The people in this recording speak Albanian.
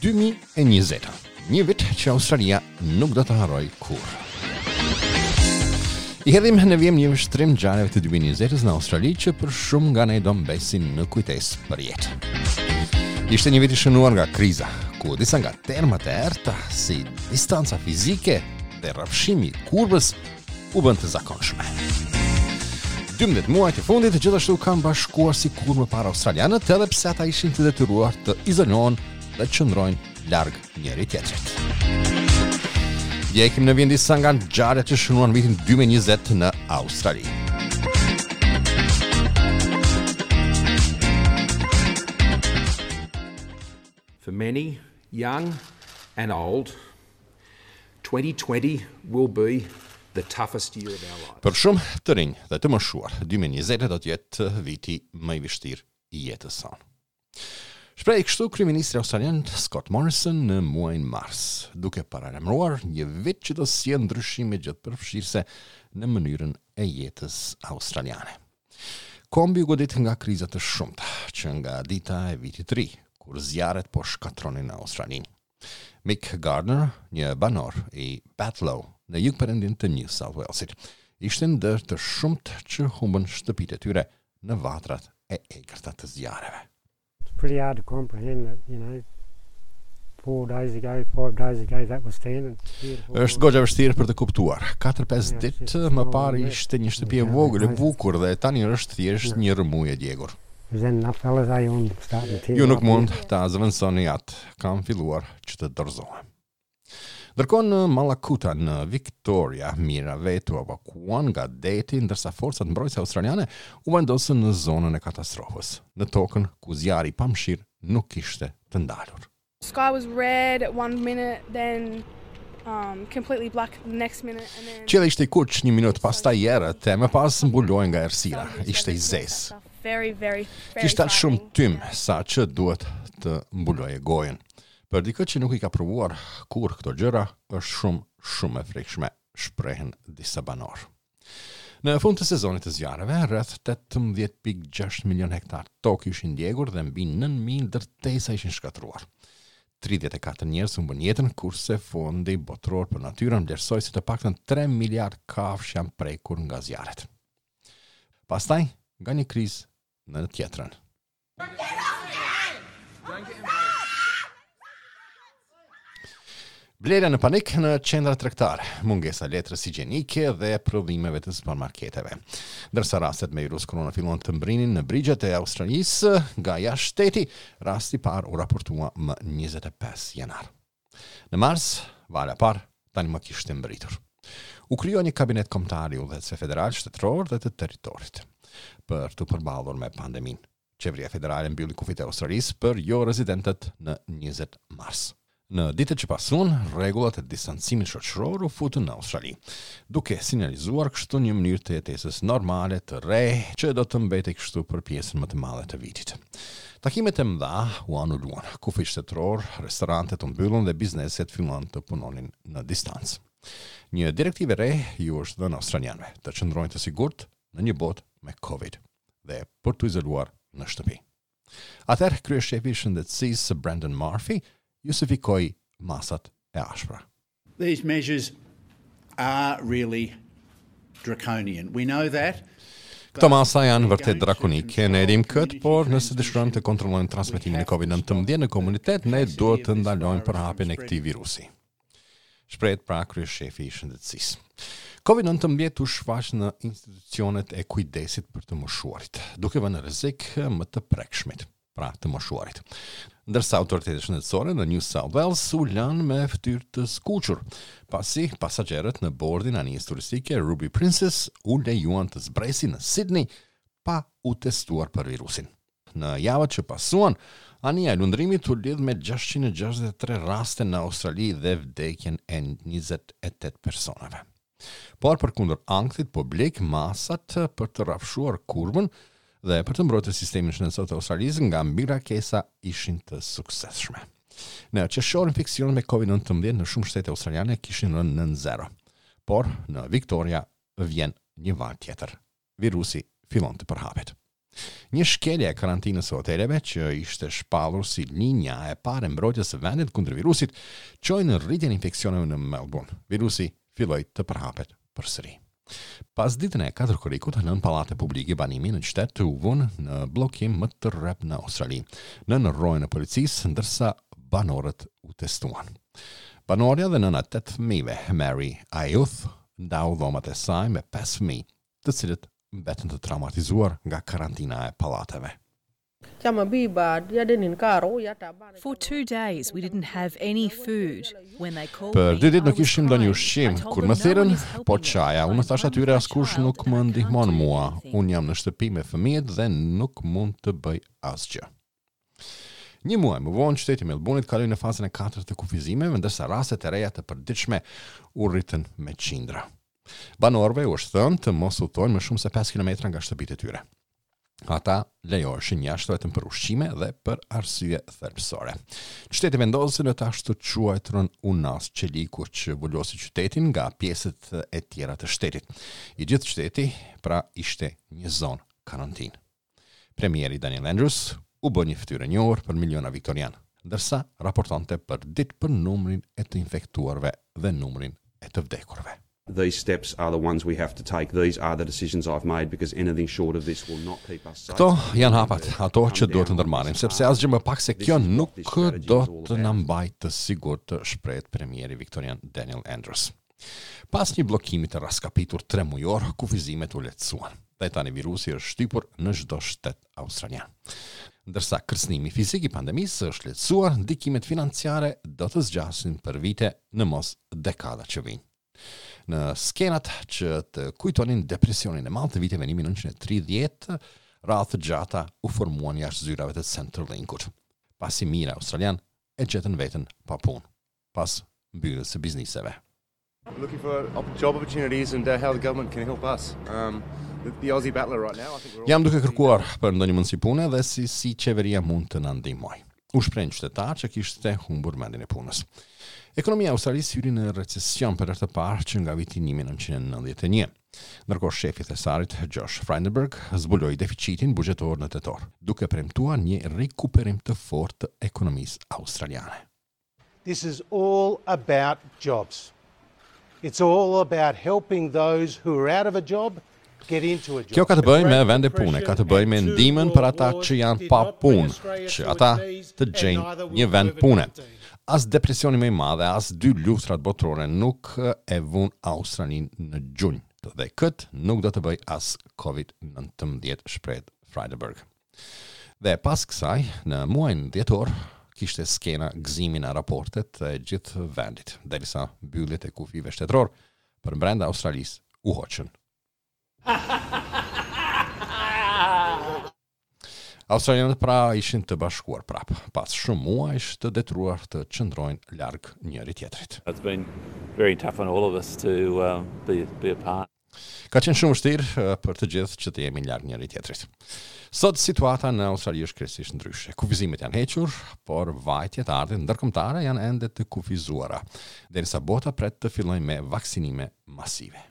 2020. Një vit që Australia nuk do ta harrojë kurrë. I hedhim në vijim një vështrim ngjarjeve të 2020-s në Australi që për shumë nga ne do mbesin në kujtesë për jetë. Ishte një vit i shënuar nga kriza, ku disa nga termat e errëta si distanca fizike dhe rrafshimi i kurbës u bënë të zakonshme. 12 muajt e fundit gjithashtu kanë bashkuar si kurrë më parë australianët edhe pse ata ishin të detyruar të izolohen dhe të qëndrojnë larg njëri-tjetrit. Ndjekim në vijim disa nga ngjarjet që shënuan vitin 2020 në Australi. For many, young and old, 2020 will be the toughest year of our lives. Për shumë të rinj dhe të moshuar, 2020 do të jetë viti më i vështirë i jetës sonë. Shprehej kështu kryeministri australian Scott Morrison në muajin mars, duke paralajmëruar një vit që do sjellë ndryshime gjithëpërfshirëse në mënyrën e jetës australiane. Kombi u godit nga kriza të shumta, që nga dita e vitit të ri, kur zjarret po shkatërronin Australinë. Mick Gardner, një banor i Batlow në jugperëndim të New South Walesit, ishte ndër të shumtë që humbën shtëpitë e tyre në vatrat e egërta të zjarreve. It's pretty hard to comprehend that, you know, four days ago, five days ago that was standing. Është goxha vështirë për të kuptuar. 4-5 ditë më parë ishte një shtëpi e vogël e bukur dhe tani është thjesht një rrëmujë e djegur. Ju nuk mund ta zëvendësoni atë. Kam filluar që të dorëzohem. Ndërkohë në Mallacoota në Victoria, mijëra vetë u evakuuan nga deti, ndërsa forcat mbrojtëse australiane u vendosën në zonën e katastrofës, në tokën ku zjarri i pamëshirë nuk kishte të ndalur. Sky was red at one minute, then um, completely black the next minute and then Qielli ishte i kuq një minutë, pastaj i errët e më pas mbulohej nga errësira. Ishte i zezë. Very, very, very Kishte aq shumë frightening. tym sa që duhet të mbuloje gojën. Për dikë që nuk i ka provuar kurrë këto gjëra, është shumë, shumë e frikshme, shprehen disa banorë. Në fund të sezonit të zjarreve, rreth 18.6 milion hektar tokë ishin djegur dhe mbi 9.000 ndërtesa ishin shkatërruar. 34 njerëz humbën jetën, kurse Fondi Botëror për Natyrën vlerësoi se të paktën 3 miliard kafshë janë prekur nga zjarret. Pastaj, nga një krizë në tjetrën. Blerja në panik në qendra tregtare, mungesa e letrës higjienike dhe prodhimeve të supermarketeve. Ndërsa rastet me virus korona filluan të mbrinin në brigjet e Australisë nga jashtë shteti, rasti i parë u raportua më 25 janar. Në mars, vala e parë tani më kishte mbërritur. U krijua një kabinet kombëtar i udhëheqësve federal, shtetëror dhe të territorit për t'u përballur me pandeminë. Qeveria federale mbylli kufijtë e Australisë për jo rezidentët në 20 mars. Në ditët që pasuan, rregullat e distancimit shoqëror u futën në Australi, duke sinjalizuar kështu një mënyrë të jetesës normale të re që do të mbetej kështu për pjesën më të madhe të vitit. Takimet e mëdha u anuluan, kufijtë shtetëror, restorantet u mbyllën dhe bizneset filluan të punonin në distancë. Një direktivë e re iu është dhënë australianëve, të qëndrojnë të sigurt në një botë me Covid dhe për t'u izoluar në shtëpi. Atëherë kryeshefi i shëndetësisë Brendan Murphy justifikoi masat e ashpra. These measures are really draconian. We know that. Këto masa janë vërtet drakonike, ne e dimë këtë, por nëse dëshirojmë të kontrollojmë transmetimin e COVID-19 në komunitet, ne duhet të ndalojmë përhapjen e këtij virusi. Shprehet pra kryeshefi i shëndetësisë. Covid-19 u shfaq në institucionet e kujdesit për të moshuarit, duke vënë në rrezik më të prekshmit, pra të moshuarit. Ndërsa autoritetet shëndetësore në New South Wales u lanë me fytyrë të skuqur, pasi pasagjerët në bordin e anijes turistike Ruby Princess u lejuan të zbresin në Sydney pa u testuar për virusin. Në javët që pasuan, anija e lundrimit u lidh me 663 raste në Australi dhe vdekjen e 28 personave. Por përkundër ankthit publik, masat për të rrafshuar kurbën dhe për të mbrojtur sistemin shëndetësor të Australisë nga mbingarkesa ishin të suksesshme. Në qershor infeksionet me COVID-19 në shumë shtete australiane kishin rënë nën zero. Por në Victoria vjen një valë tjetër. Virusi fillon të përhapet. Një shkelje e karantinës së hoteleve, që ishte shpallur si linja e parë e mbrojtjes së vendit kundër virusit, çoi në rritjen e infeksioneve në Melbourne. Virusi filloi të përhapet përsëri. Pasditen e 4 korrikut, nëntë pallate publike banimi në qytet u vunë në bllokim më të rreptë në Australi, nën rojën e policisë, ndërsa banorët u testuan. Banorja dhe nëna e tetë fëmijëve, Mary Ayuth, ndau dhomat e saj me pesë fëmijë, të cilët mbetën të traumatizuar nga karantina e pallateve. For two days we didn't have any food. When they called Për me, dy ditë I nuk was kishim ndonjë crying. I ushqim. told Kur më them no one thirrën, is helping po me. qaja. I'm Unë thashë one atyre with my askush child nuk and më I can't ndihmon do mua. anything. Unë jam në shtëpi me fëmijët dhe nuk mund të bëj asgjë. Një muaj më vonë, qyteti i Melbourne-it kaloi në fazën e katërt të kufizimeve, ndërsa rastet e reja të përditshme u rritën me qindra. Banorëve u është thënë të mos udhtojnë më shumë se 5 kilometra nga shtëpitë e tyre. Ata lejoheshin jashtë vetëm për ushqime dhe për arsye thelbësore. Qyteti vendosi në të ashtuquajturën unazë çeliku që vulosi qytetin nga pjesët e tjera të shtetit. I gjithë qyteti pra ishte një zonë karantinë. Premieri Daniel Andrews u bë një fytyrë e njohur për miliona viktorianë, ndërsa raportonte për ditë për numrin e të infektuarve dhe numrin e të vdekurve. These steps are the ones we have to take. These are the decisions I've made because anything short of this will not keep us safe. Këto janë hapat, ato që duhet të ndërmarrim, sepse asgjë më pak se kjo nuk do të na mbajë të sigurt, të shprehet premieri viktorian Daniel Andrews. Pas një bllokimi të raskapitur 3 mujor, kufizimet u lehtësuan. Dhe tani virusi është shtypur në çdo shtet australian. Ndërsa kërcënimi fizik i pandemisë është lehtësuar, ndikimet financiare do të zgjasin për vite në mos dekada që vijnë. Në skenat që të kujtonin depresionin e madh të viteve 1930, radhë të gjata u formuan jashtë zyrave të Centrelinkut, pasi mijëra australian e gjetën veten pa punë, pas mbylljes së bizneseve. Looking for op- job opportunities and uh, how the government can help us. Um, the, the Aussie battler right now, I think we're all Jam duke kërkuar për ndonjë mundësi pune dhe si si qeveria mund të na ndihmojë. U shpreh një qytetar që kishte humbur vendin e punës. Ekonomia e Australisë hyri në recesion për herë të parë që nga viti 1991. Ndërkohë shefi i thesarit Josh Frydenberg zbuloi deficitin buxhetor në tetor, duke premtuar një rikuperim të fortë të ekonomisë australiane. This is all about jobs. It's all about helping those who are out of a job get into a job. Kjo ka të bëjë me vende pune, ka të bëjë me ndihmën për ata që janë pa punë, që ata të gjejnë një vend pune. As depresioni më i madh, as dy luftrat botërore nuk e vun Australinë në gjunjë. Dhe këtë nuk do të bëj as COVID-19, shprehet Frydenberg. Dhe pas kësaj, në muajin dhjetor, kishte skena gëzimi në raportet e gjithë vendit, derisa mbylljet e kufijve shtetëror për brenda Australisë u hoqën. Australianët pra ishin të bashkuar prap, pas shumë muajsh të detyruar të qëndrojnë larg njëri tjetrit. It's been very tough on all of us to um, be, be apart. Ka qenë shumë vështirë eh, për të gjithë që të jemi larg njëri tjetrit. Sot situata në Australi është krejtësisht ndryshe. Kufizimet janë hequr, por vajtjet e ardhjet ndërkombëtare janë ende të kufizuara, derisa bota pret të fillojë me vaksinime masive.